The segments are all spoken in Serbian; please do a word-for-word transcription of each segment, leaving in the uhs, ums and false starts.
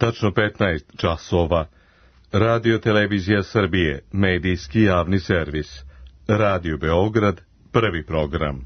Tačno petnaest časova. Radio Televizija Srbije, medijski javni servis. Radio Beograd, prvi program.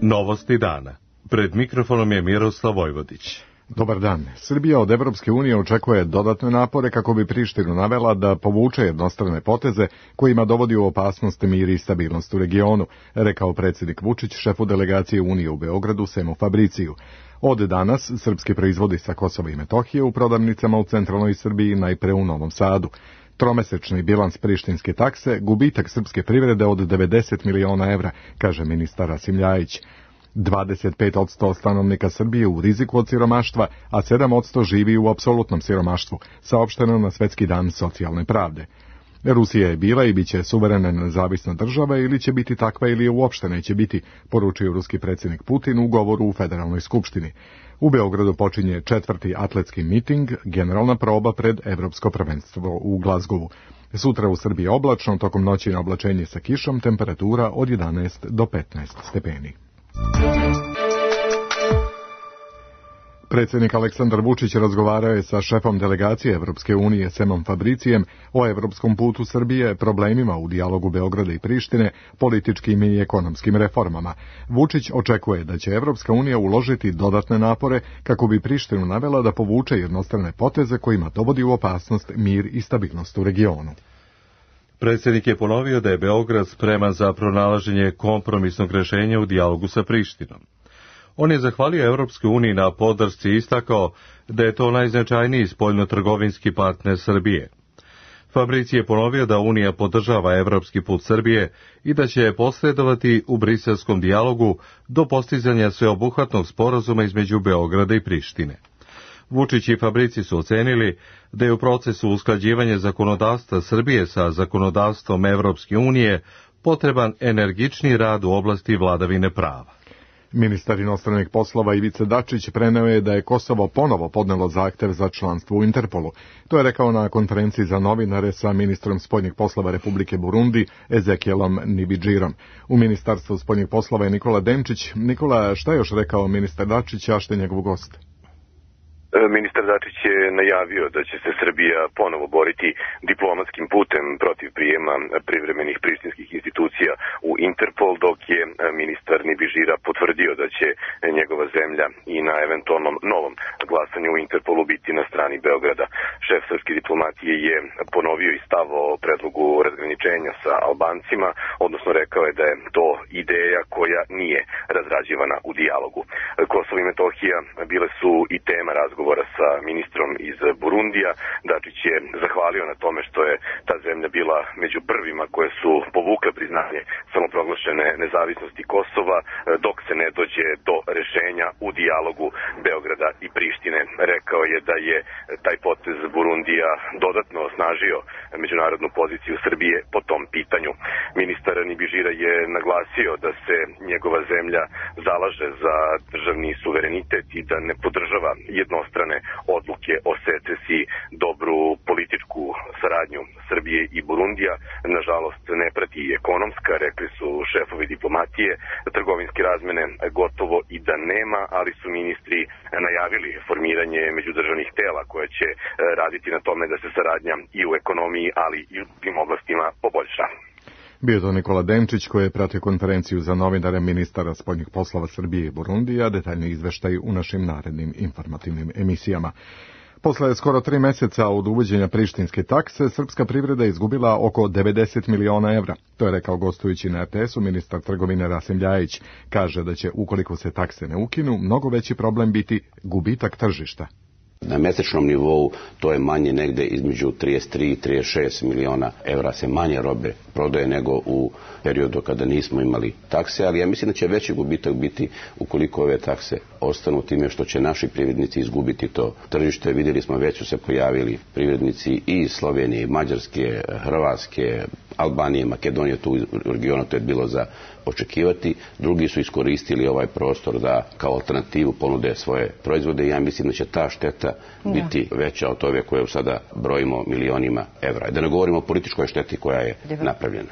Novosti dana. Pred mikrofonom je Miroslav Vojvodić. Dobar dan. Srbija od Evropske unije očekuje dodatne napore kako bi Prištinu navela da povuče jednostrane poteze kojima dovodi u opasnost mir i stabilnost u regionu, rekao predsjednik Vučić šefu delegacije Unije u Beogradu Semu Fabriciju. Od danas srpski proizvodi sa Kosova i Metohije u prodavnicama u centralnoj Srbiji, najpre u Novom Sadu. Tromesečni bilans prištinske takse, gubitak srpske privrede od devedeset miliona evra, kaže ministar Rasim Ljajić. dvadeset pet posto stanovnika Srbije u riziku od siromaštva, a sedam posto živi u apsolutnom siromaštvu, saopšteno na Svetski dan socijalne pravde. Rusija je bila i bit će suverena nezavisna država ili će biti takva ili je uopšte neće biti, poručio ruski predsjednik Putin u govoru u Federalnoj skupštini. U Beogradu počinje četvrti atletski miting, generalna proba pred Evropsko prvenstvo u Glazgovu. Sutra u Srbiji oblačno, tokom noći na oblačenje sa kišom, temperatura od jedanaest do petnaest stepeni. Predsjednik Aleksandar Vučić razgovarao je sa šefom delegacije Evropske unije Semom Fabricijem o evropskom putu Srbije, problemima u dijalogu Beograda i Prištine, političkim i ekonomskim reformama. Vučić očekuje da će Evropska unija uložiti dodatne napore kako bi Prištinu navela da povuče jednostrane poteze kojima dovodi u opasnost mir i stabilnost u regionu. Predsjednik je ponovio da je Beograd spreman za pronalaženje kompromisnog rješenja u dijalogu sa Prištinom. On je zahvalio Evropskoj uniji na podršci i istakao da je to najznačajniji spoljno-trgovinski partner Srbije. Fabrici je ponovio da Unija podržava evropski put Srbije i da će posredovati u briselskom dijalogu do postizanja sveobuhvatnog sporazuma između Beograda i Prištine. Vučić i Fabrici su ocenili da je u procesu usklađivanja zakonodavstva Srbije sa zakonodavstvom Evropske unije potreban energični rad u oblasti vladavine prava. Ministar inostranih poslova Ivica Dačić preneo je da je Kosovo ponovo podnelo zahtev za članstvo u Interpolu. To je rekao na konferenciji za novinare sa ministrom spoljnih poslova Republike Burundi Ezekielom Nibidžirom. U Ministarstvu spoljnih poslova je Nikola Denčić. Nikola, šta je još rekao ministar Dačić, a što je njegov gost? Ministar Dačić je najavio da će se Srbija ponovo boriti diplomatskim putem protiv prijema privremenih prištinskih institucija u Interpol, dok je ministar Nibižira potvrdio da će njegova zemlja i na eventualnom novom glasanju u Interpolu biti na strani Beograda. Šef srpske diplomatije je ponovio i stav o predlogu razgraničenja sa Albancima, odnosno rekao je da je to ideja koja nije razrađivana u dijalogu. Kosovo i Metohija bile su i tema razgovora sa ministrom iz Burundija. Dačić je zahvalio na tome što je ta zemlja bila među prvima koje su povukle priznanje samoproglašene nezavisnosti Kosova, dok se ne dođe do rešenja u dijalogu Beograda i Prištine. Rekao je da je taj potez Burundija dodatno osnažio međunarodnu poziciju Srbije po tom pitanju. Ministar Nibižira je naglasio da se njegova zemlja zalaže za državni suverenitet i da ne podržava jednostrane odluke o secesiji. Dobru političku saradnju Srbije i Burundija nažalost ne prati i ekonomska, rekli su šefovi diplomatije. Trgovinske razmene gotovo i da nema, ali su ministri najavili formiranje međudržavnih tela koje će raditi na tome da se saradnja i u ekonomiji, ali i u tim oblastima poboljša. Bio je to Nikola Denčić koji je pratio konferenciju za novinare ministara spoljnih poslova Srbije i Burundija, detaljni izveštaj u našim narednim informativnim emisijama. Posle skoro tri meseca od uvođenja prištinske takse, srpska privreda je izgubila oko devedeset miliona evra. To je rekao gostujući na er te esu ministar trgovine Rasim Ljajić. Kaže da će, ukoliko se takse ne ukinu, mnogo veći problem biti gubitak tržišta. Na mesečnom nivou to je manje negde između trideset tri i trideset šest miliona evra se manje robe prodaje nego u periodu kada nismo imali takse, ali ja mislim da će veći gubitak biti ukoliko ove takse ostanu, time što će naši privrednici izgubiti to tržište. Vidjeli smo, već su se pojavili privrednici i iz Slovenije, Mađarske, Hrvatske, Albanije, Makedonije, tu u regionu, to je bilo za očekivati. Drugi su iskoristili ovaj prostor da kao alternativu ponude svoje proizvode i ja mislim da će ta šteta biti veća od ove koje sada brojimo milionima evra. Da ne govorimo o političkoj šteti koja je napravljena.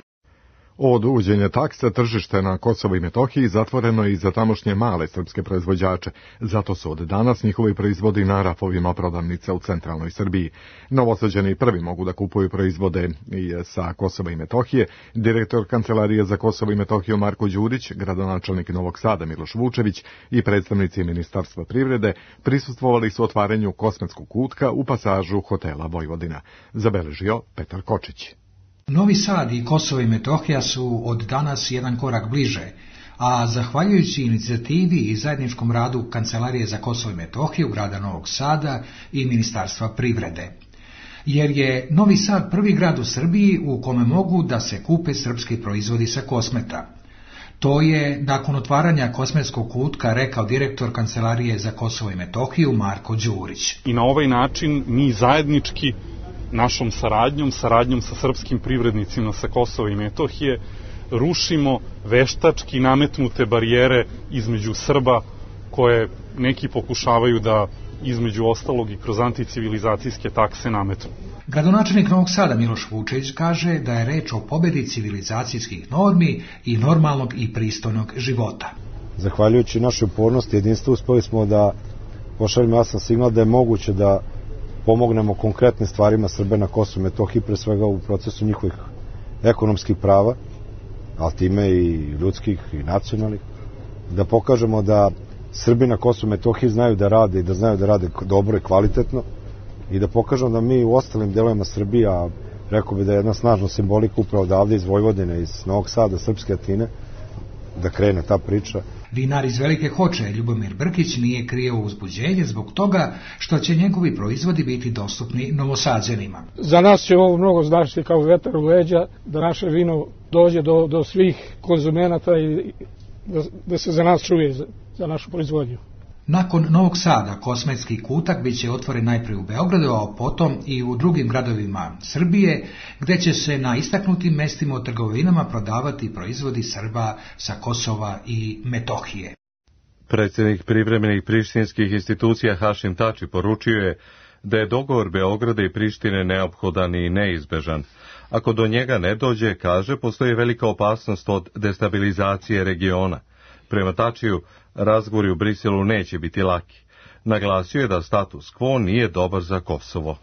Od uvođenja taksa tržište na Kosovo i Metohiji zatvoreno je i za tamošnje male srpske proizvođače. Zato su od danas njihovi proizvodi na rafovima prodavnica u centralnoj Srbiji. Novosađeni prvi mogu da kupuju proizvode i sa Kosova i Metohije. Direktor Kancelarije za Kosovo i Metohiju Marko Đurić, gradonačelnik Novog Sada Miloš Vučević i predstavnici Ministarstva privrede prisustvovali su otvaranju kosmetskog kutka u pasažu hotela Vojvodina. Zabeležio Petar Kočić. Novi Sad i Kosovo i Metohija su od danas jedan korak bliže, a zahvaljujući inicijativi i zajedničkom radu Kancelarije za Kosovo i Metohiju grada Novog Sada i Ministarstva privrede. Jer je Novi Sad prvi grad u Srbiji u kome mogu da se kupe srpski proizvodi sa Kosmeta. To je nakon otvaranja kosmetskog kutka rekao direktor Kancelarije za Kosovo i Metohiju Marko Đurić. I na ovaj način mi zajednički našom saradnjom, saradnjom sa srpskim privrednicima sa Kosova i Metohije, rušimo veštački nametnute barijere između Srba koje neki pokušavaju da između ostalog i kroz anticivilizacijske takse nametnu. Gradonačelnik Novog Sada Miloš Vučević kaže da je reč o pobedi civilizacijskih normi i normalnog i pristojnog života. Zahvaljujući našoj upornosti i jedinstvu uspeli smo da pošaljemo jasan signal da je moguće da pomognemo konkretne stvarima Srbe na Kosovu i Metohiji, pre svega u procesu njihovih ekonomskih prava, ali time i ljudskih i nacionalnih, da pokažemo da Srbi na Kosovu i Metohiji znaju da rade i da znaju da rade dobro i kvalitetno i da pokažemo da mi u ostalim delovima Srbije, a rekao bi da je jedna snažna simbolika upravo odavde iz Vojvodine, iz Novog Sada, Srpske Atine, da krene ta priča. Vinar iz Velike Hoče Ljubomir Brkić nije krio uzbuđenje zbog toga što će njegovi proizvodi biti dostupni Novosađanima. Za nas će ovo mnogo značiti kao vetar u leđa, da naše vino dođe do, do svih konzumenata i da, da se za nas čuje za, za našu proizvodnju. Nakon Novog Sada kosmetski kutak biće otvoren najprije u Beogradu, a potom i u drugim gradovima Srbije, gde će se na istaknutim mestima u trgovinama prodavati proizvodi Srba sa Kosova i Metohije. Predsjednik privremenih prištinskih institucija Hašim Tači poručio je da je dogovor Beograda i Prištine neophodan i neizbežan. Ako do njega ne dođe, kaže, postoji velika opasnost od destabilizacije regiona. Prema Tačiju, razgovori u Briselu neće biti laki. Naglasio je da status quo nije dobar za Kosovo.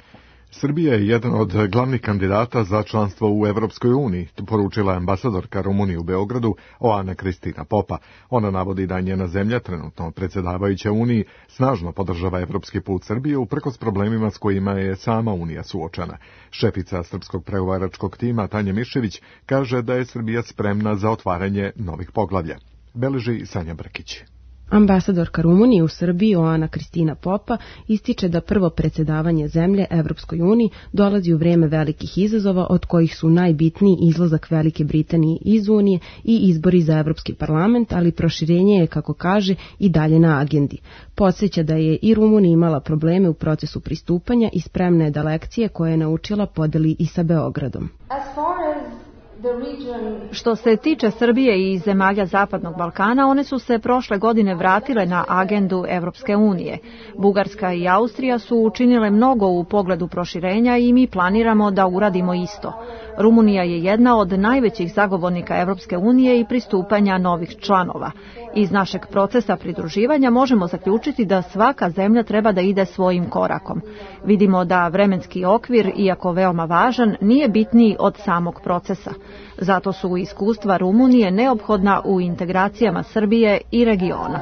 Srbija je jedan od glavnih kandidata za članstvo u Evropskoj uniji, poručila je ambasadorka Rumunije u Beogradu Oana Kristina Popa. Ona navodi da njena zemlja, trenutno predsjedavajuća Uniji, snažno podržava evropski put Srbije uprkos problemima s kojima je sama Unija suočena. Šefica srpskog pregovaračkog tima Tanja Mišević kaže da je Srbija spremna za otvaranje novih poglavlja. Beleži Sanja Brkić. Ambasadorka Rumunije u Srbiji Oana Kristina Popa ističe da prvo predsjedavanje zemlje Evropskoj uniji dolazi u vrijeme velikih izazova, od kojih su najbitniji izlazak Velike Britanije iz Unije i izbori za Evropski parlament, ali proširenje je, kako kaže, i dalje na agendi. Podsjeća da je i Rumunija imala probleme u procesu pristupanja i spremna je da lekcije koje je naučila podeli i sa Beogradom. Što se tiče Srbije i zemalja Zapadnog Balkana, one su se prošle godine vratile na agendu Evropske unije. Bugarska i Austrija su učinile mnogo u pogledu proširenja i mi planiramo da uradimo isto. Rumunija je jedna od najvećih zagovornika Evropske unije i pristupanja novih članova. Iz našeg procesa pridruživanja možemo zaključiti da svaka zemlja treba da ide svojim korakom. Vidimo da vremenski okvir, iako veoma važan, nije bitniji od samog procesa. Zato su iskustva Rumunije neophodna u integracijama Srbije i regiona.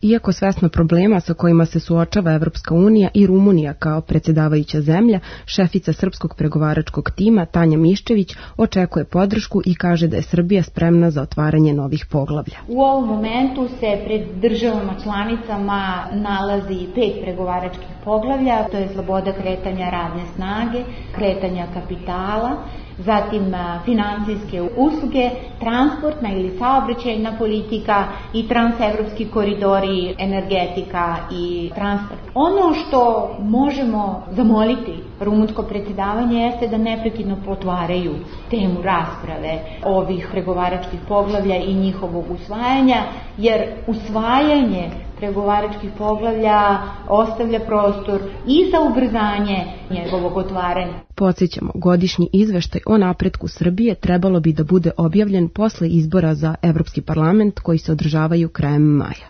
Iako svesna problema sa kojima se suočava Evropska unija i Rumunija kao predsjedavajuća zemlja, šefica srpskog pregovaračkog tima Tanja Miščević očekuje podršku i kaže da je Srbija spremna za otvaranje novih poglavlja. U ovom momentu se pred državama članicama nalazi pet pregovaračkih poglavlja, to je sloboda kretanja radne snage, kretanja kapitala, zatim financijske usluge, transportna ili saobraćajna politika i transevropski koridori, energetika i transport. Ono što možemo zamoliti rumunsko predsjedavanje jeste da neprekidno potvaraju temu rasprave ovih pregovaračkih poglavlja i njihovog usvajanja, jer usvajanje pregovaračkih poglavlja ostavlja prostor i za ubrzanje njegovog otvaranja. Podsjećamo, godišnji izveštaj o napretku Srbije trebalo bi da bude objavljen posle izbora za Evropski parlament koji se održavaju krajem maja.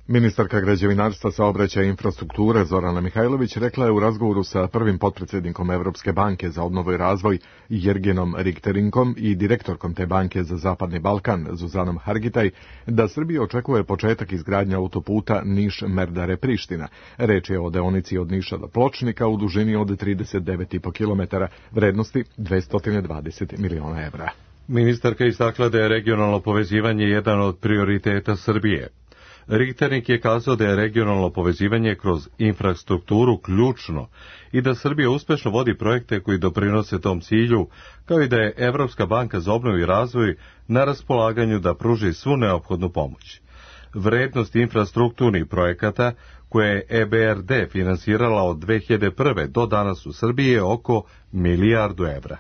Ministarka građevinarstva, saobraćaja i infrastrukture Zorana Mihajlović rekla je u razgovoru sa prvim potpredsjednikom Evropske banke za obnovu i razvoj Jergenom Rikterinkom i direktorkom te banke za Zapadni Balkan Zuzanom Hargitaj da Srbija očekuje početak izgradnje autoputa Niš-Merdare-Priština. Reč je o deonici od Niša do Pločnika u dužini od trideset devet i po kilometara, vrednosti dvesta dvadeset miliona evra. Ministarka istakla da je regionalno povezivanje jedan od prioriteta Srbije. Richternik je kazao da je regionalno povezivanje kroz infrastrukturu ključno i da Srbija uspešno vodi projekte koji doprinose tom cilju, kao i da je Evropska banka za obnovu i razvoj na raspolaganju da pruži svu neophodnu pomoć. Vrednost infrastrukturnih projekata koje je E B R D finansirala od dve hiljade prve do danas u Srbiji je oko milijardu evra.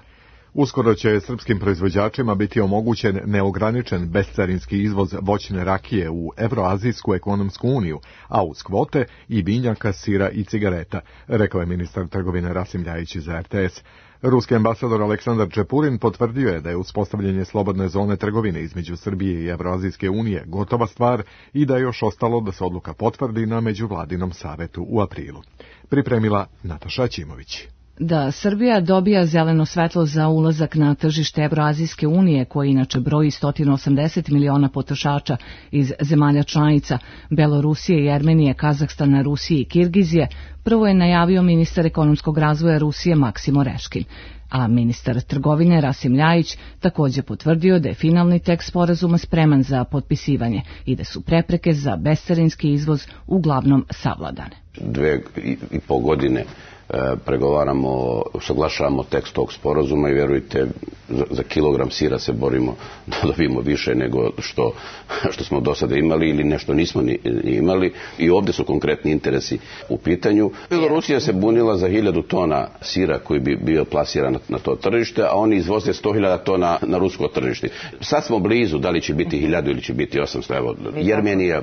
Uskoro će srpskim proizvođačima biti omogućen neograničen bescarinski izvoz voćne rakije u Evroazijsku ekonomsku uniju, a uz kvote i biljaka, sira i cigareta, rekao je ministar trgovine Rasim Ljajić za R T S. Ruski ambasador Aleksandar Čepurin potvrdio je da je uspostavljanje slobodne zone trgovine između Srbije i Evroazijske unije gotova stvar i da je još ostalo da se odluka potvrdi na međuvladinom savetu u aprilu. Pripremila Nataša Ćimović. Da Srbija dobija zeleno svetlo za ulazak na tržište Evroazijske unije, koje inače broji sto osamdeset miliona potrošača iz zemalja članica Belorusije i Armenije, Kazahstana, Rusije i Kirgizije, prvo je najavio ministar ekonomskog razvoja Rusije Maksim Oreškin, a ministar trgovine Rasim Ljajić takođe potvrdio da je finalni tekst sporazuma spreman za potpisivanje i da su prepreke za bescarinski izvoz uglavnom savladane. Dve i pol godine pregovaramo, usaglašavamo tekst tog sporazuma i vjerujte, za kilogram sira se borimo da dobijemo više nego što, što smo do sada imali ili nešto nismo ni, ni imali i ovdje su konkretni interesi u pitanju. Belorusija se bunila za hiljadu tona sira koji bi bio plasiran na, na to tržište, a oni izvoze sto hiljada tona na rusko tržište. Sad smo blizu, da li će biti hiljadu ili će biti osamsto. Evo, Jermenija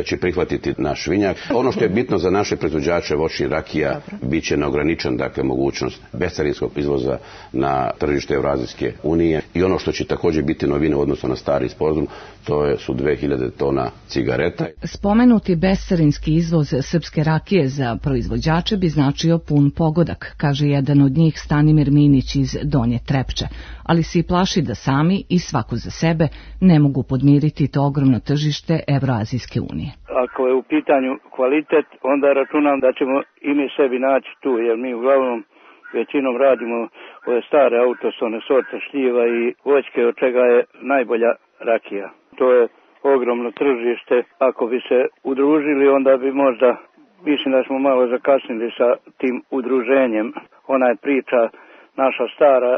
će prihvatiti naš vinjak. Ono što je bitno za naše proizvođače voćnih rakija bit će neograničen, dakle, mogućnost bescarinskog izvoza na tržište Evroazijske unije i ono što će također biti novine u odnosu na stari sporazum, to je, su dve hiljade tona cigareta. Spomenuti bescarinski izvoz srpske rakije za proizvođače bi značio pun pogodak, kaže jedan od njih Stanimir Minić iz Donje Trepče, ali se i plaši da sami i svako za sebe ne mogu podmiriti to ogromno tržište Evroazijske unije. Ako je u pitanju kvalitet, onda računam da ćemo i mi sebi naći tu, jer mi uglavnom većinom radimo ove stare autosone sorte šljiva i voćke, od čega je najbolja rakija. To je ogromno tržište. Ako bi se udružili, onda bi možda, mislim da smo malo zakasnili sa tim udruženjem. Ona je priča naša stara,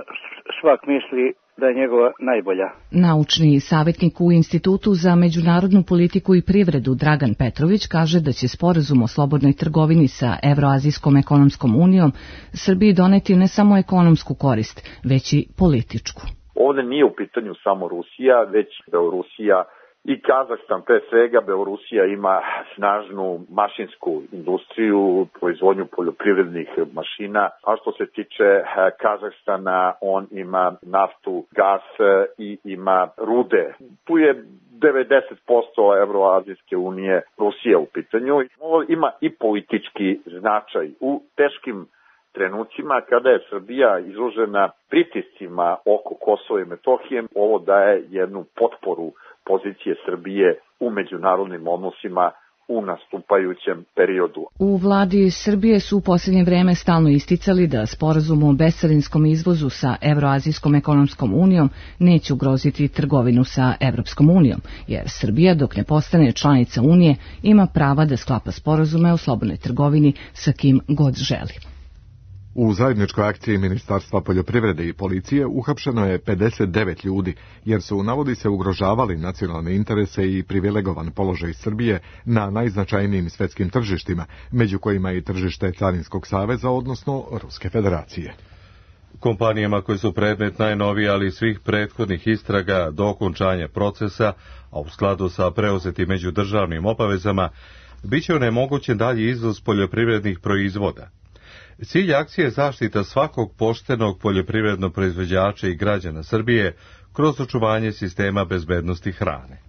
svak misli da je njegova najbolja. Naučni savjetnik u Institutu za međunarodnu politiku i privredu Dragan Petrović kaže da će sporazum o slobodnoj trgovini sa Evroazijskom ekonomskom unijom Srbiji doneti ne samo ekonomsku korist, već i političku. Ovdje nije u pitanju samo Rusija, već Belorusija i Kazahstan, pre svega. Belorusija ima snažnu mašinsku industriju, proizvodnju poljoprivrednih mašina, a što se tiče Kazahstana, on ima naftu, gas i ima rude. Tu je devedeset posto Evroazijske unije Rusija u pitanju. Ovo ima i politički značaj u teškim trenucima kada je Srbija izložena pritiscima oko Kosova i Metohije. Ovo daje jednu potporu pozicije Srbije u međunarodnim odnosima u nastupajućem periodu. U vladi Srbije su u posljednje vreme stalno isticali da sporazum o bescarinskom izvozu sa Evroazijskom ekonomskom unijom neće ugroziti trgovinu sa Evropskom unijom, jer Srbija, dok ne postane članica unije, ima prava da sklapa sporazume o slobodnoj trgovini sa kim god želi. U zajedničkoj akciji Ministarstva poljoprivrede i policije uhapšeno je pedeset devet ljudi, jer su, navodi se, ugrožavali nacionalne interese i privilegovan položaj Srbije na najznačajnijim svetskim tržištima, među kojima i tržište Carinskog saveza, odnosno Ruske federacije. Kompanijama koje su predmet najnovije, ali svih prethodnih istraga do okončanja procesa, a u skladu sa preuzetim međudržavnim obavezama, bit će onemogućen dalji izvoz poljoprivrednih proizvoda. Cilj akcije je zaštita svakog poštenog poljoprivrednog proizvođača i građana Srbije kroz očuvanje sistema bezbednosti hrane.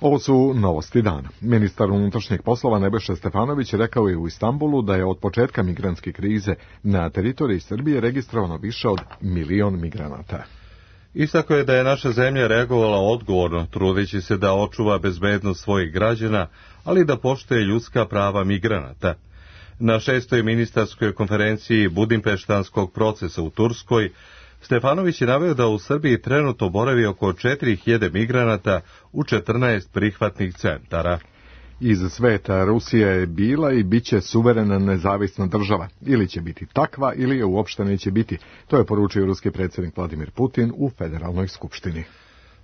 Ovo su novosti dana. Ministar unutrašnjih poslova Nebojša Stefanović rekao je u Istanbulu da je od početka migrantske krize na teritoriji Srbije registrovano više od milion migranata. Istakao je da je naša zemlja reagovala odgovorno, trudeći se da očuva bezbednost svojih građana, ali da poštuje ljudska prava migranata. Na šestoj ministarskoj konferenciji Budimpeštanskog procesa u Turskoj, Stefanović je naveo da u Srbiji trenutno boravi oko četiri hiljade migranata u četrnaest prihvatnih centara. Iz sveta Rusija je bila i bit će suverena nezavisna država. Ili će biti takva, ili je uopšte neće biti. To je poručio ruski predsjednik Vladimir Putin u Federalnoj skupštini.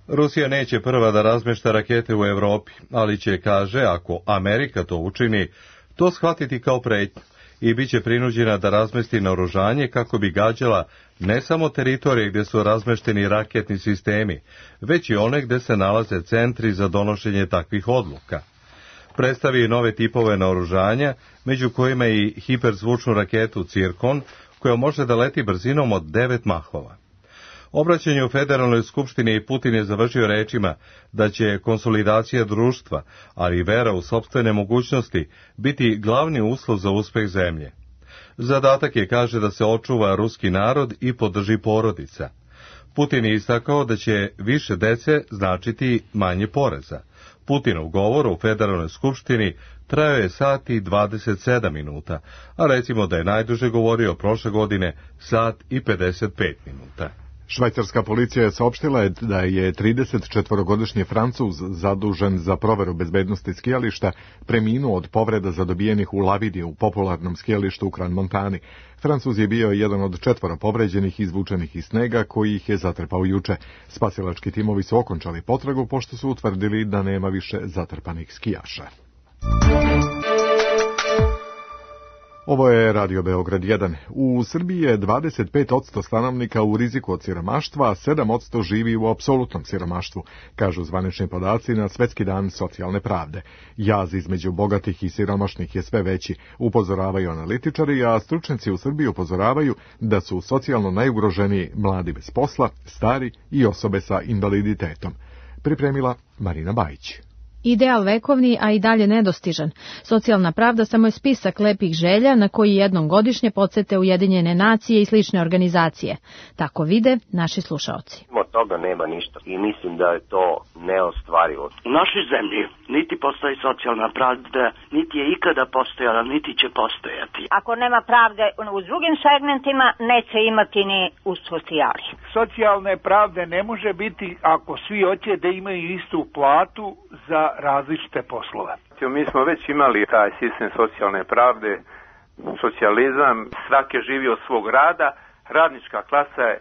Rusija neće prva da razmešta rakete u Evropi, ali će, kaže, ako Amerika to učini, to shvatiti kao pretnju i bit će prinuđena da razmesti naoružanje kako bi gađala ne samo teritorije gdje su razmešteni raketni sistemi, već i one gdje se nalaze centri za donošenje takvih odluka. Predstavi nove tipove naoružanja, među kojima i hiperzvučnu raketu Cirkon, koja može da leti brzinom od devet mahova. Obraćanje u Federalnoj skupštini Putin je završio rečima da će konsolidacija društva, ali i vera u sopstvene mogućnosti, biti glavni uslov za uspeh zemlje. Zadatak je, kaže, da se očuva ruski narod i podrži porodica. Putin je istakao da će više dece značiti manje poreza. Putinov govor u Federalnoj skupštini trajao je sat i dvadeset sedam minuta, a recimo da je najduže govorio prošle godine sat i pedeset pet minuta. Švajcarska policija je saopštila da je tridesetčetvorogodišnji Francuz zadužen za proveru bezbednosti skijališta preminuo od povreda zadobijenih u lavidi u popularnom skijalištu u Crans Montani. Francuz je bio jedan od četvoro povređenih izvučenih iz snega koji ih je zatrpao juče. Spasilački timovi su okončali potragu pošto su utvrdili da nema više zatrpanih skijaša. Ovo je Radio Beograd jedan. U Srbiji je dvadeset pet posto stanovnika u riziku od siromaštva, a sedam posto živi u apsolutnom siromaštvu, kažu zvanični podaci na Svetski dan socijalne pravde. Jaz između bogatih i siromašnih je sve veći, upozoravaju analitičari, a stručnjaci u Srbiji upozoravaju da su socijalno najugroženiji mladi bez posla, stari i osobe sa invaliditetom. Pripremila Marina Bajić. Ideal vekovni, a i dalje nedostižan. Socijalna pravda samo je spisak lepih želja na koji jednom godišnje podsete Ujedinjene nacije i slične organizacije. Tako vide naši slušaoci. Od toga nema ništa i mislim da je to neostvarivo. U našoj zemlji niti postoji socijalna pravda, niti je ikada postojala, niti će postojati. Ako nema pravde u drugim segmentima, neće imati ni u socijali. Socijalne pravde ne može biti ako svi hoće da imaju istu platu za različite poslove. Mi smo već imali taj sistem socijalne pravde, socijalizam, svake živi od svog rada, radnička klasa je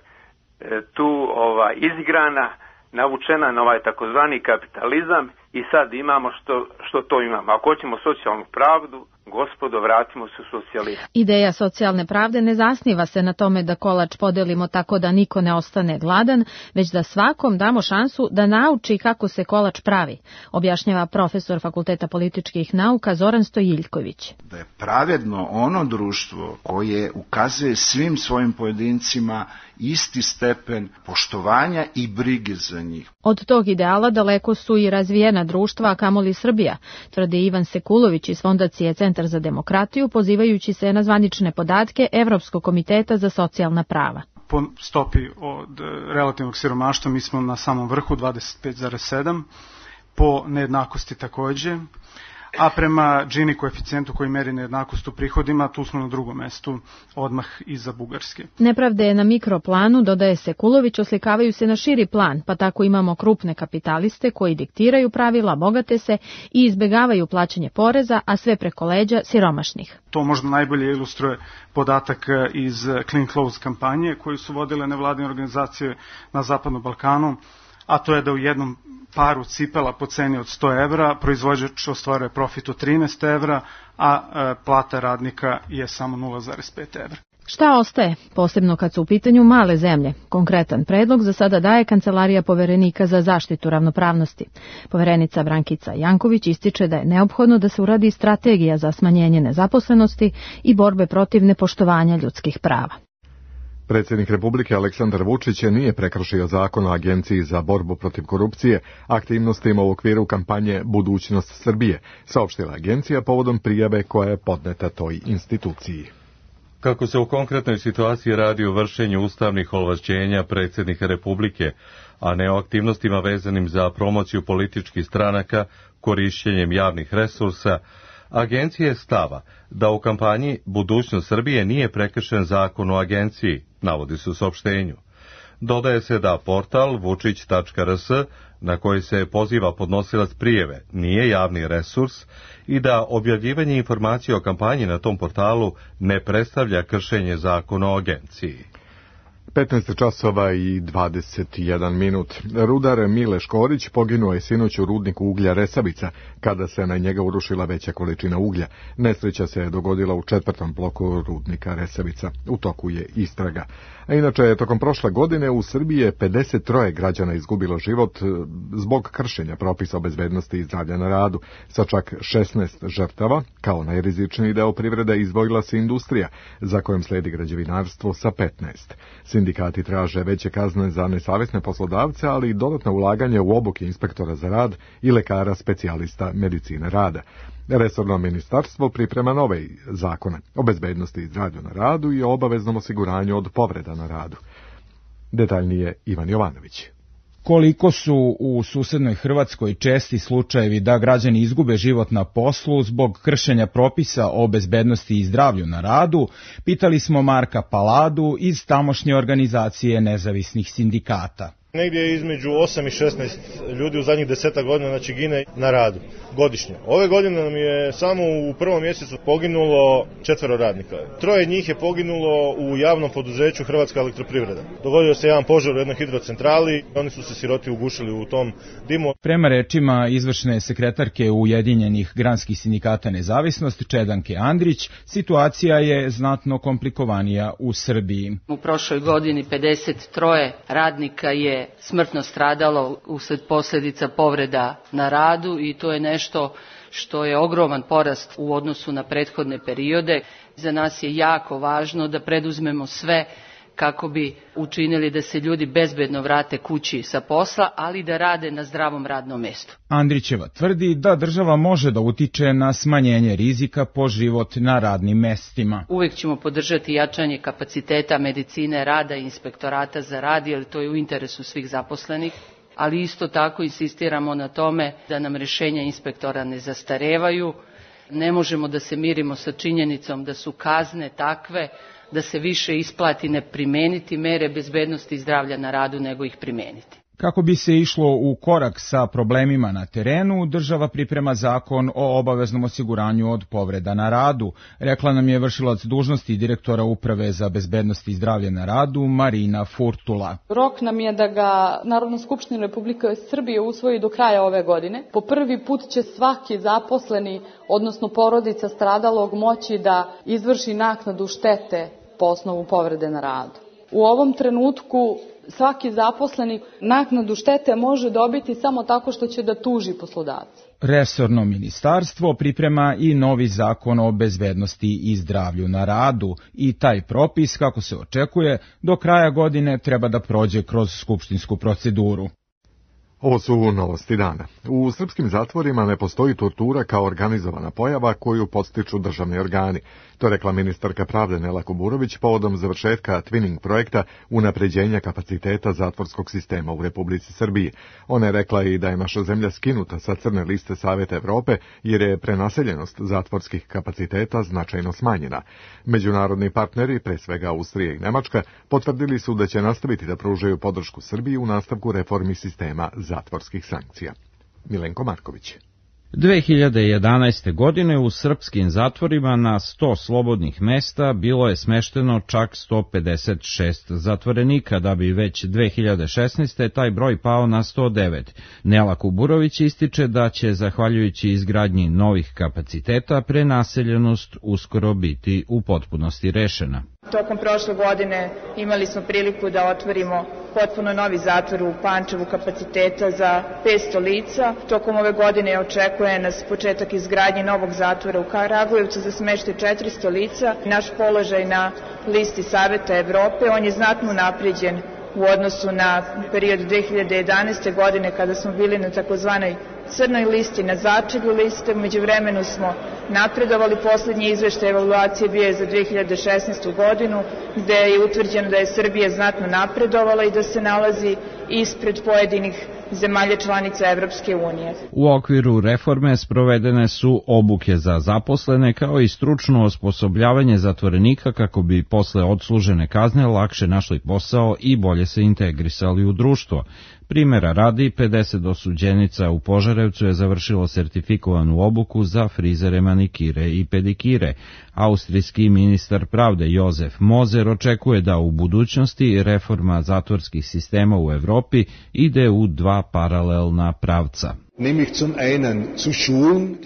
tu ovaj, izigrana, navučena na ovaj takozvani kapitalizam i sad imamo što, što to imamo. Ako hoćemo socijalnu pravdu, gospodo, vratimo se u socijalizam. Ideja socijalne pravde ne zasniva se na tome da kolač podelimo tako da niko ne ostane gladan, već da svakom damo šansu da nauči kako se kolač pravi, objašnjava profesor Fakulteta političkih nauka Zoran Stojiljković. Da je pravedno ono društvo koje ukazuje svim svojim pojedincima isti stepen poštovanja i brige za njih. Od tog ideala daleko su i razvijena društva, a kamoli Srbija, tvrdi Ivan Sekulović iz Fondacije Centar za demokratiju, pozivajući se na zvanične podatke Evropskog komiteta za socijalna prava. Po stopi od relativnog siromaštva mi smo na samom vrhu dvadeset pet zarez sedam, po nejednakosti takođe, a prema Gini koeficijentu koji meri nejednakost u prihodima, tu smo na drugom mestu, odmah iza Bugarske. Nepravde na mikroplanu, dodaje Sekulović, oslikavaju se na širi plan, pa tako imamo krupne kapitaliste koji diktiraju pravila, bogate se i izbegavaju plaćanje poreza, a sve preko leđa siromašnih. To možda najbolje ilustruje podatak iz Clean Clothes kampanje koju su vodile nevladine organizacije na Zapadnom Balkanu, a to je da u jednom paru cipela po ceni od sto evra proizvođač ostvaruje profit od trinaest evra, a e, plata radnika je samo nula zarez pet evra. Šta ostaje, posebno kad su u pitanju male zemlje? Konkretan predlog za sada daje Kancelarija poverenika za zaštitu ravnopravnosti. Poverenica Brankica Janković ističe da je neophodno da se uradi strategija za smanjenje nezaposlenosti i borbe protiv nepoštovanja ljudskih prava. Predsjednik Republike Aleksandar Vučić nije prekršio zakon o Agenciji za borbu protiv korupcije aktivnostima u okviru kampanje Budućnost Srbije, saopštila agencija povodom prijave koja je podneta toj instituciji. Kako se u konkretnoj situaciji radi o vršenju ustavnih ovlašćenja predsjednika Republike, a ne o aktivnostima vezanim za promociju političkih stranaka korišćenjem javnih resursa, agencija je stava da u kampanji Budućnost Srbije nije prekršen zakon o agenciji, navodi se u saopštenju. Dodaje se da portal vučić tačka r s, na koji se poziva podnosilac prijeve, nije javni resurs i da objavljivanje informacija o kampanji na tom portalu ne predstavlja kršenje zakona o agenciji. petnaest časova i dvadeset jedan minut. Rudar Mile Škorić poginuo je sinoć u rudniku uglja Resavica, kada se na njega urušila veća količina uglja. Nesreća se je dogodila u četvrtom bloku rudnika Resavica. U toku je istraga. A inače, tokom prošle godine u Srbiji je pedeset tri građana izgubilo život zbog kršenja propisa o bezbednosti i zdravlja na radu. Sa čak šesnaest žrtava, kao najrizičniji deo privrede, izdvojila se industrija, za kojom sledi građevinarstvo sa petnaest. Sindikati traže veće kazne za nesavesne poslodavce, ali i dodatno ulaganje u obuke inspektora za rad i lekara specijalista medicine rada. Resorno ministarstvo priprema nove zakone o bezbednosti i zdravlju na radu i o obaveznom osiguranju od povreda na radu. Detaljnije Ivan Jovanović. Koliko su u susednoj Hrvatskoj česti slučajevi da građani izgube život na poslu zbog kršenja propisa o bezbednosti i zdravlju na radu, pitali smo Marka Paladu iz tamošnje organizacije nezavisnih sindikata. Negdje između osam i šesnaest ljudi u zadnjih deseta godina znači gine na radu godišnje. Ove godine nam je samo u prvom mjesecu poginulo četvero radnika. Troje njih je poginulo u javnom poduzeću Hrvatska elektroprivreda. Dogodio se jedan požar u jednoj hidrocentrali, oni su se siroti ugušili u tom dimu. Prema rečima izvršne sekretarke Ujedinjenih granskih sindikata Nezavisnost Čedanke Andrić, situacija je znatno komplikovanija u Srbiji. U prošloj godini pedeset tri radnika je smrtno stradalo usled posljedica povreda na radu i to je nešto što je ogroman porast u odnosu na prethodne periode. Za nas je jako važno da preduzmemo sve kako bi učinili da se ljudi bezbedno vrate kući sa posla, ali da rade na zdravom radnom mjestu. Andrićeva tvrdi da država može da utiče na smanjenje rizika po život na radnim mestima. Uvijek ćemo podržati jačanje kapaciteta medicine rada i inspektorata za rad, jer to je u interesu svih zaposlenih, ali isto tako insistiramo na tome da nam rješenja inspektora ne zastarevaju. Ne možemo da se mirimo sa činjenicom da su kazne takve da se više isplati ne primeniti mere bezbednosti i zdravlja na radu nego ih primeniti. Kako bi se išlo u korak sa problemima na terenu, država priprema zakon o obaveznom osiguranju od povreda na radu, rekla nam je vršilac dužnosti direktora Uprave za bezbednost i zdravlje na radu Marina Furtula. Rok nam je da ga Narodna skupština Republike Srbije usvoji do kraja ove godine. Po prvi put će svaki zaposleni, odnosno porodica stradalog, moći da izvrši naknadu štete po osnovu povrede na radu. U ovom trenutku svaki zaposleni naknadu štete može dobiti samo tako što će da tuži poslodavca. Resorno ministarstvo priprema i novi zakon o bezbednosti i zdravlju na radu i taj propis, kako se očekuje, do kraja godine treba da prođe kroz skupštinsku proceduru. Ovo su novosti dana. U srpskim zatvorima ne postoji tortura kao organizovana pojava koju podstiču državni organi. To rekla ministarka pravde Nela Kuburović povodom završetka twinning projekta unapređenja kapaciteta zatvorskog sistema u Republici Srbiji. Ona je rekla i da je naša zemlja skinuta sa crne liste Saveta Evrope jer je prenaseljenost zatvorskih kapaciteta značajno smanjena. Međunarodni partneri, pre svega Austrija i Nemačka, potvrdili su da će nastaviti da pružaju podršku Srbiji u nastavku reformi sistema zatvorskih sankcija. Milenko Marković. dve hiljade jedanaeste. godine u srpskim zatvorima na sto slobodnih mesta bilo je smešteno čak sto pedeset šest zatvorenika, da bi već dve hiljade šesnaeste. taj broj pao na sto devet. Nela Kuburović ističe da će, zahvaljujući izgradnji novih kapaciteta, prenaseljenost uskoro biti u potpunosti rešena. Tokom prošle godine imali smo priliku da otvorimo potpuno novi zatvor u Pančevu kapaciteta za petsto lica. Tokom ove godine očekuje nas početak izgradnje novog zatvora u Kragujevcu za smeštaj četiristo lica. Naš položaj na listi Saveta Evrope, on je znatno unapređen u odnosu na period dve hiljade jedanaeste. godine kada smo bili na takozvanoj crnoj listi, na začelju liste. Umeđu vremenu smo napredovali. Poslednji izveštaj evaluacije bio je za dve hiljade šesnaestu. godinu, gde je utvrđeno da je Srbija znatno napredovala i da se nalazi ispred pojedinih zemalja članica Evropske unije. U okviru reforme sprovedene su obuke za zaposlene kao i stručno osposobljavanje zatvorenika kako bi posle odslužene kazne lakše našli posao i bolje se integrisali u društvo. Primera radi, pedeset osuđenica u Požarevcu je završilo sertifikovanu obuku za frizere, manikire i pedikire. Austrijski ministar pravde Jozef Moser očekuje da u budućnosti reforma zatvorskih sistema u Evropi ide u dva paralelna pravca.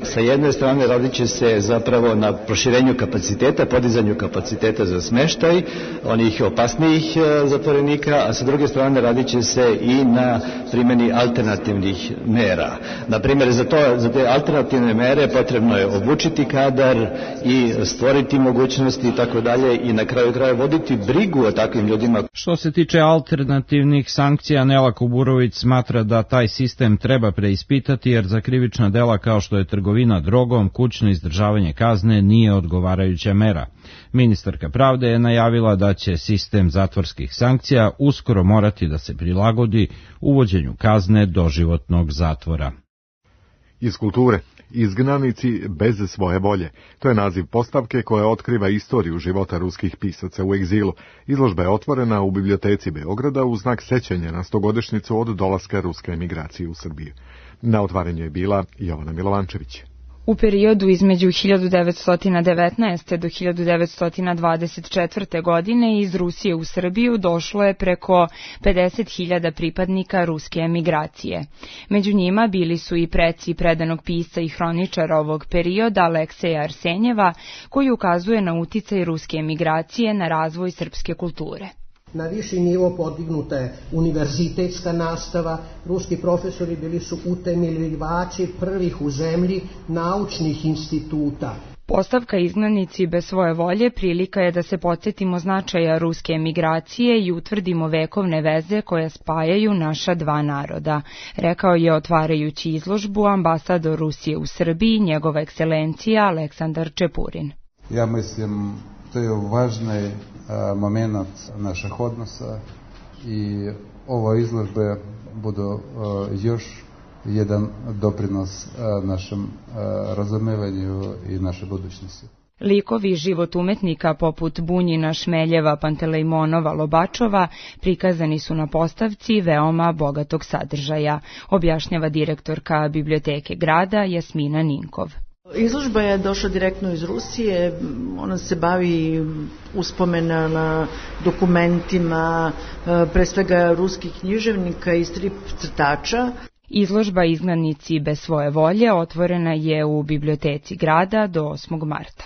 Sa jedne strane radit će se zapravo na proširenju kapaciteta, podizanju kapaciteta za smeštaj onih opasnijih zatvorenika, a sa druge strane radit će se i na primjeni alternativnih mera. Na primjer, za, to, za te alternativne mere potrebno je obučiti kadar i stvoriti mogućnosti i tako dalje i na kraju kraja voditi brigu o takvim ljudima. Što se tiče alternativnih sankcija, Nela Kuburović smatra da taj sistem treba preispitati jer za krivična dela kao što je trgovina drogom, kućno izdržavanje kazne nije odgovarajuća mera. Ministarka pravde je najavila da će sistem zatvorskih sankcija uskoro morati da se prilagodi uvođenju kazne doživotnog zatvora. Iz kulture. Izgnanici bez svoje volje. To je naziv postavke koja otkriva istoriju života ruskih pisaca u egzilu. Izložba je otvorena u biblioteci Beograda u znak sećanja na stogodišnjicu od dolaska ruske emigracije u Srbiju. Na otvaranju je bila Jovana Milovančević. U periodu između hiljadu devetsto devetnaeste. do hiljadu devetsto dvadeset četvrte. godine iz Rusije u Srbiju došlo je preko pedeset hiljada pripadnika ruske emigracije. Među njima bili su i preci predanog pisca i hroničara ovog perioda Alekseja Arsenjeva, koji ukazuje na uticaj ruske emigracije na razvoj srpske kulture. Na viši nivo podignuta je univerzitetska nastava, ruski profesori bili su utemeljivači prvih u zemlji naučnih instituta. Postavka Izgnanici bez svoje volje prilika je da se podsjetimo značaja ruske emigracije i utvrdimo vekovne veze koje spajaju naša dva naroda, rekao je otvarajući izložbu ambasador Rusije u Srbiji, njegova ekscelencija Aleksandar Čepurin. Ja mislim, to je važni moment naših odnosa i ova izložba budu još jedan doprinos našem razumevanju i našoj budućnosti. Likovi život umetnika poput Bunjina, Šmeljeva, Pantelejmonova, Lobačova prikazani su na postavci veoma bogatog sadržaja, objašnjava direktorka Biblioteke grada Jasmina Ninkov. Izložba je došla direktno iz Rusije, ona se bavi uspomena na dokumentima, pre svega ruskih književnika i strip crtača. Izložba Izgnanici bez svoje volje otvorena je u Biblioteci grada do osmog marta.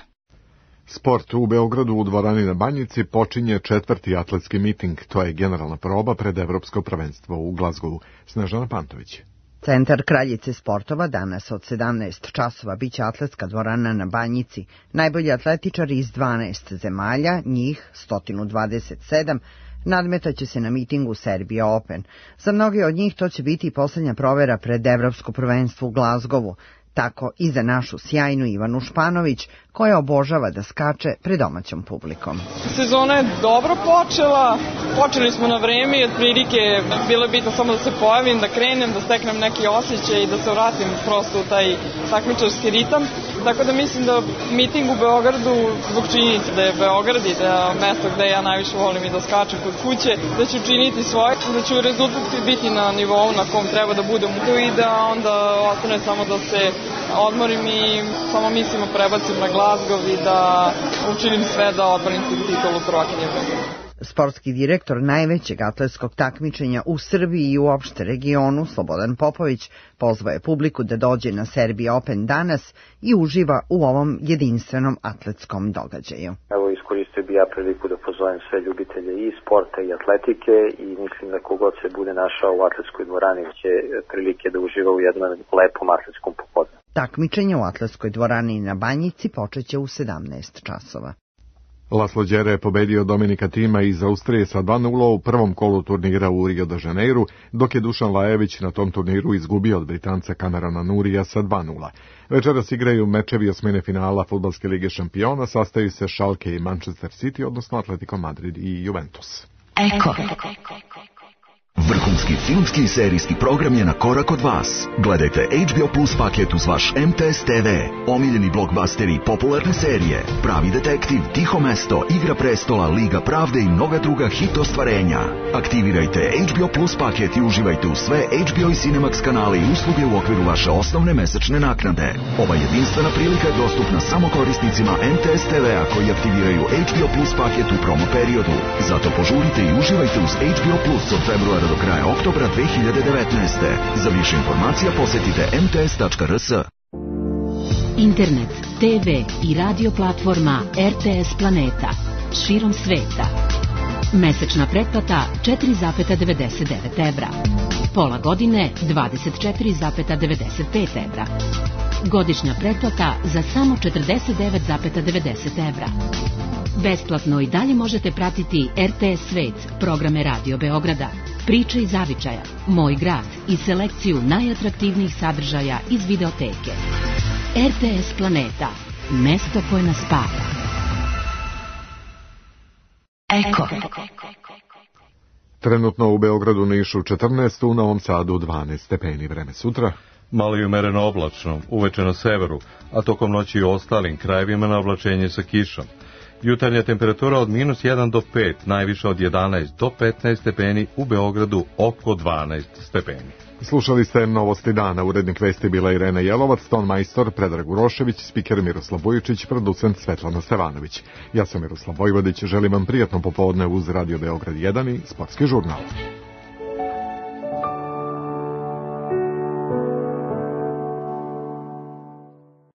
Sport u Beogradu u dvorani na Banjici počinje četvrti atletski miting, to je generalna proba pred Evropsko prvenstvo u Glazgovu. Snežana Pantović. Centar Kraljice sportova danas od sedamnaest časova biće atletska dvorana na Banjici. Najbolji atletičari iz dvanaest zemalja, njih sto dvadeset sedam, nadmetaće se na mitingu Serbia Open. Za mnoge od njih to će biti i posljednja provera pred Evropsko prvenstvo u Glazgovu. Tako i za našu sjajnu Ivanu Španović, koja obožava da skače pred domaćom publikom. Sezona je dobro počela, počeli smo na vreme i otprilike bilo je bitno samo da se pojavim, da krenem, da steknem neki osjećaj i da se vratim prosto u taj takmičarski ritam. Tako da mislim da miting u Beogradu, zbog činjenice da je Beograd i da je mesto gde ja najviše volim i da skačem kod kuće, da ću učiniti svoje, da ću rezultat biti na nivou na kom treba da budem tu i da onda ostane samo da se odmorim i samo mislimo prebacim na Glazgov i da učinim sve da odbranim titulu prvakinje Beograda. Sportski direktor najvećeg atletskog takmičenja u Srbiji i uopšte regionu, Slobodan Popović, pozvao je publiku da dođe na Serbia Open danas i uživa u ovom jedinstvenom atletskom događaju. Evo, iskoristio bi ja priliku da pozovem sve ljubitelje i sporta i atletike i mislim da kogod se bude našao u atletskoj dvorani će prilike da uživa u jednom lepom atletskom popodne. Takmičenje u atletskoj dvorani na Banjici počeće u sedamnaest časova. Laslo Đere je pobedio Dominika Tima iz Austrije sa dva nula u prvom kolu turnira u Rio de Janeiru, dok je Dušan Lajević na tom turniru izgubio od Britanca Camerona Nurija sa dva nula. Večeras igraju mečevi osmine finala Fudbalske lige šampiona, sastaju se Schalke i Manchester City, odnosno Atletico Madrid i Juventus. Eko. Vrhunski filmski i serijski program je na korak od vas. Gledajte H B O Plus paket uz vaš M T S T V, omiljeni blockbusteri i popularne serije, Pravi detektiv, Tiho mesto, Igra prestola, Liga pravde i mnoga druga hit ostvarenja. Aktivirajte H B O Plus paket i uživajte u sve H B O i Cinemax kanale i usluge u okviru vaše osnovne mesečne naknade. Ova jedinstvena prilika je dostupna samo korisnicima M T S T V-a koji aktiviraju H B O Plus paket u promo periodu. Zato požurite i uživajte uz H B O Plus od februara do kraja oktobra dve hiljade devetnaeste. Za više informacija posetite m t s tačka r s. Internet, te ve i radio platforma R T S Planeta. Širom sveta. Mesečna pretplata četiri zarez devedeset devet evra. Pola godine dvadeset četiri zarez devedeset pet evra. Godišnja pretplata za samo četrdeset devet zarez devedeset evra. Besplatno i dalje možete pratiti R T S Svet, programe Radio Beograda, Priče iz zavičaja, Moj grad i selekciju najatraktivnijih sadržaja iz videoteke. R T S Planeta, mesto koje nas spaja. Eko. Trenutno u Beogradu, Nišu četrnaest, u Novom Sadu dvanaest stepeni. Vreme sutra. Malo i umereno oblačno, uveče na severu, a tokom noći i ostalim krajevima na oblačenje sa kišom. Jutarnja temperatura od minus jedan do pet, najviše od jedanaest do petnaest stepeni, u Beogradu oko dvanaest stepeni. Slušali ste Novosti dana, urednik vesti bila Irena Jelovac, ton majstor Predrag Urošević, spiker Miroslav Vujičić, producent Svetlana Stevanović. Ja sam Miroslav Vojvodić, želim vam prijatno popodne uz Radio Beograd jedan i Sportski žurnal.